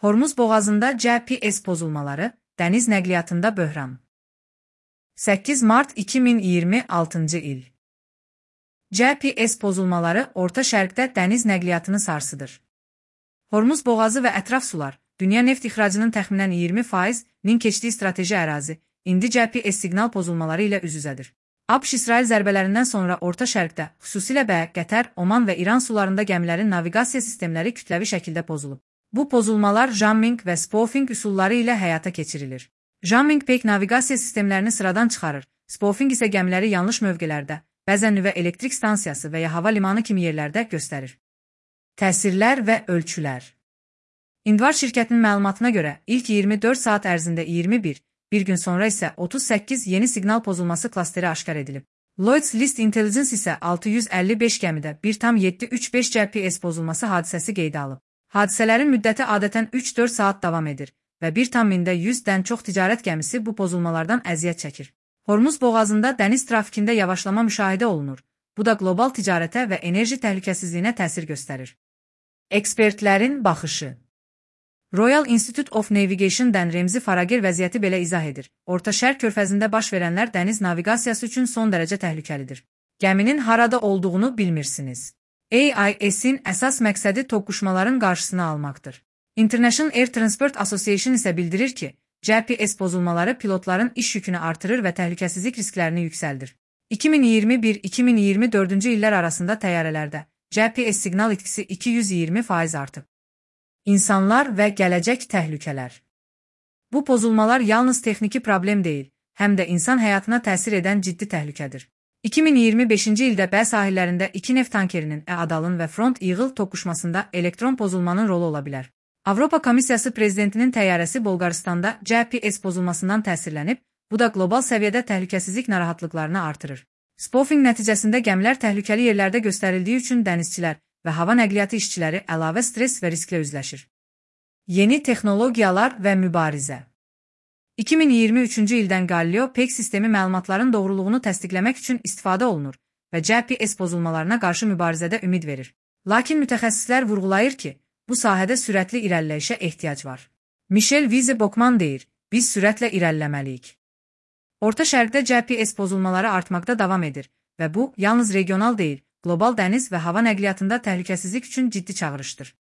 Hormuz boğazında GPS pozulmaları, dəniz nəqliyyatında böhran. 8 mart 2026 il. GPS pozulmaları Orta Şərqdə dəniz nəqliyyatını sarsıdır. Hormuz boğazı və ətraf sular, dünya neft ixracının təxminən 20%-nin keçdiyi strateji ərazi, indi GPS siqnal pozulmaları ilə üz-üzədir. ABŞ-İsrail zərbələrindən sonra Orta Şərqdə, xüsusilə Qətər, Oman və İran sularında gəmilərin naviqasiya sistemləri kütləvi şəkildə pozulub. Bu pozulmalar jamming və spoofing üsulları ilə həyata keçirilir. Jamming peyk naviqasiya sistemlərini sıradan çıxarır, spoofing isə gəmiləri yanlış mövqelərdə, bəzən nüvə elektrik stansiyası və ya hava limanı kimi yerlərdə göstərir. Təsirlər və ölçülər. Indvar şirkətinin məlumatına görə, ilk 24 saat ərzində 21, bir gün sonra isə 38 yeni siqnal pozulması klasteri aşkar edilib. Lloyd's List Intelligence isə 655 gəmidə 1,735 GPS pozulması hadisəsi qeydə alıb. Hadisələrin müddəti adətən 3-4 saat davam edir və 1,100-dən çox ticarət gəmisi bu pozulmalardan əziyyət çəkir. Hormuz boğazında dəniz trafikində yavaşlama müşahidə olunur. Bu da qlobal ticarətə və enerji təhlükəsizliyinə təsir göstərir. Ekspertlərin baxışı. Royal Institute of Navigation-dən Remzi Farager vəziyyəti belə izah edir. Orta Şərq körfəzində baş verənlər dəniz naviqasiyası üçün son dərəcə təhlükəlidir. Gəminin harada olduğunu bilmirsiniz. AIS-in əsas məqsədi toqquşmaların qarşısını almaqdır. International Air Transport Association isə bildirir ki, GPS pozulmaları pilotların iş yükünü artırır və təhlükəsizlik risklərini yüksəldir. 2021-2024-cü illər arasında təyyarələrdə GPS siqnal itkisi 220% artıb. İnsanlar və gələcək təhlükələr. Bu pozulmalar yalnız texniki problem deyil, həm də insan həyatına təsir edən ciddi təhlükədir. 2025-ci ildə Bəh sahillərində 2 neft tankerinin Adalın və Front Eagle toqquşmasında elektron pozulmanın rolu ola bilər. Avropa Komissiyası prezidentinin təyyarəsi Bolqarıstanda GPS pozulmasından təsirlənib, bu da qlobal səviyyədə təhlükəsizlik narahatlıqlarını artırır. Spoofing nəticəsində gəmilər təhlükəli yerlərdə göstərildiyi üçün dənizçilər və hava nəqliyyatı işçiləri əlavə stres və risklə üzləşir. Yeni texnologiyalar və mübarizə. 2023-cü ildən Galileo peyk sistemi məlumatların doğruluğunu təsdiqləmək üçün istifadə olunur və GPS pozulmalarına qarşı mübarizədə ümid verir. Lakin mütəxəssislər vurğulayır ki, bu sahədə sürətli irəliləyişə ehtiyac var. Michel Vize-Bokman deyir, biz sürətlə irəliləməliyik. Orta Şərqdə GPS pozulmaları artmaqda davam edir və bu, yalnız regional deyil, qlobal dəniz və hava nəqliyyatında təhlükəsizlik üçün ciddi çağırışdır.